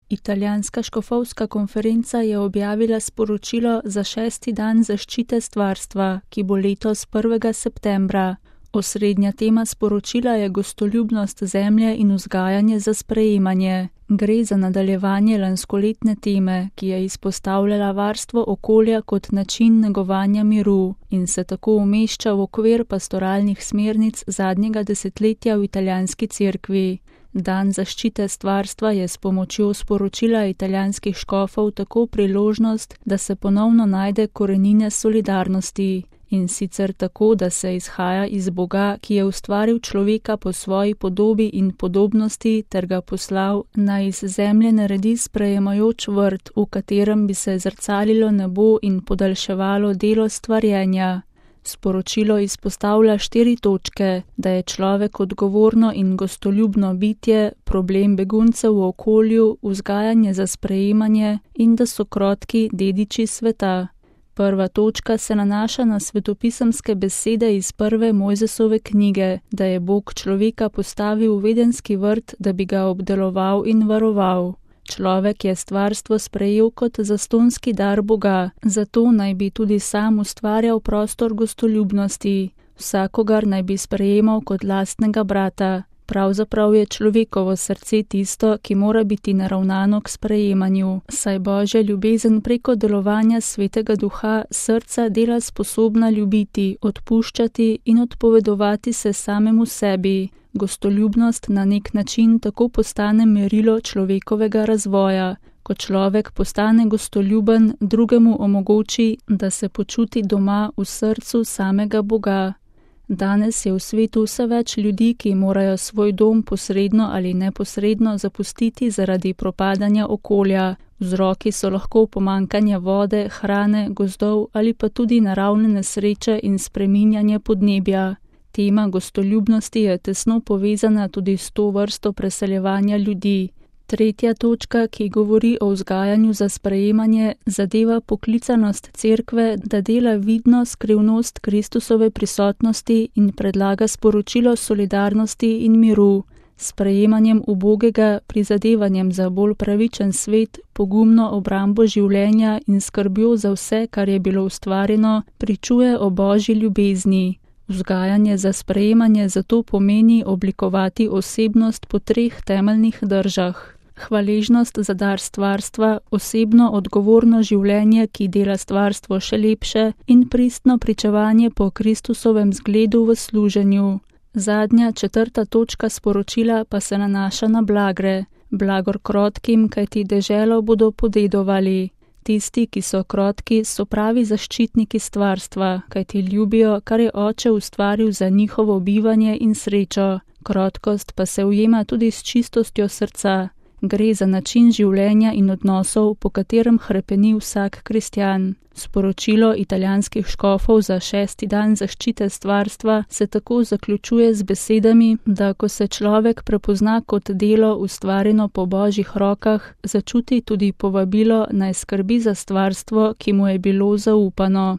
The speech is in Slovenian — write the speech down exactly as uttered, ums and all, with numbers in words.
Italijanska škofovska konferenca je objavila sporočilo za šesti dan zaščite stvarstva, ki bo letos prvega septembra. Osrednja tema sporočila je gostoljubnost zemlje in vzgajanje za sprejemanje. Gre za nadaljevanje lanskoletne teme, ki je izpostavljala varstvo okolja kot način negovanja miru in se tako umešča v okvir pastoralnih smernic zadnjega desetletja v italijanski cerkvi. Dan zaščite stvarstva je s pomočjo sporočila italijanskih škofov tako priložnost, da se ponovno najde korenine solidarnosti. In sicer tako, da se izhaja iz Boga, ki je ustvaril človeka po svoji podobi in podobnosti ter ga poslal, naj iz zemlje naredi sprejemajoč vrt, v katerem bi se zrcalilo nebo in podaljševalo delo stvarjenja. Sporočilo izpostavlja štiri točke, da je človek odgovorno in gostoljubno bitje, problem beguncev v okolju, vzgajanje za sprejemanje in da so krotki dediči sveta. Prva točka se nanaša na svetopisemske besede iz prve Mojzesove knjige, da je Bog človeka postavil v vedenski vrt, da bi ga obdeloval in varoval. Človek je stvarstvo sprejel kot zastonski dar Boga, zato naj bi tudi sam ustvarjal prostor gostoljubnosti. Vsakogar naj bi sprejemal kot lastnega brata. Pravzaprav je človekovo srce tisto, ki mora biti naravnano k sprejemanju, saj Božja ljubezen preko delovanja Svetega Duha srca dela sposobna ljubiti, odpuščati in odpovedovati se samemu sebi. Gostoljubnost na nek način tako postane merilo človekovega razvoja. Ko človek postane gostoljuben, drugemu omogoči, da se počuti doma v srcu samega Boga. Danes je v svetu vse več ljudi, ki morajo svoj dom posredno ali neposredno zapustiti zaradi propadanja okolja. Vzroki so lahko pomanjkanje vode, hrane, gozdov ali pa tudi naravne nesreče in spreminjanje podnebja. Tema gostoljubnosti je tesno povezana tudi s to vrsto preseljevanja ljudi. Tretja točka, ki govori o vzgajanju za sprejemanje, zadeva poklicanost cerkve, da dela vidno skrivnost Kristusove prisotnosti in predlaga sporočilo solidarnosti in miru. S sprejemanjem ubogega, prizadevanjem za bolj pravičen svet, pogumno obrambo življenja in skrbjo za vse, kar je bilo ustvarjeno, pričuje o Božji ljubezni. Vzgajanje za sprejemanje zato pomeni oblikovati osebnost po treh temeljnih držah. Hvaležnost za dar stvarstva, osebno odgovorno življenje, ki dela stvarstvo še lepše, in pristno pričevanje po Kristusovem zgledu v služenju. Zadnja, četrta točka sporočila pa se nanaša na blagre. Blagor krotkim, kajti deželo bodo podedovali. Tisti, ki so krotki, so pravi zaščitniki stvarstva, kajti ljubijo, kar je Oče ustvaril za njihovo bivanje in srečo. Krotkost pa se ujema tudi s čistostjo srca. Gre za način življenja in odnosov, po katerem hrepeni vsak kristjan. Sporočilo italijanskih škofov za šesti dan zaščite stvarstva se tako zaključuje z besedami, da ko se človek prepozna kot delo ustvarjeno po Božjih rokah, začuti tudi povabilo naj skrbi za stvarstvo, ki mu je bilo zaupano.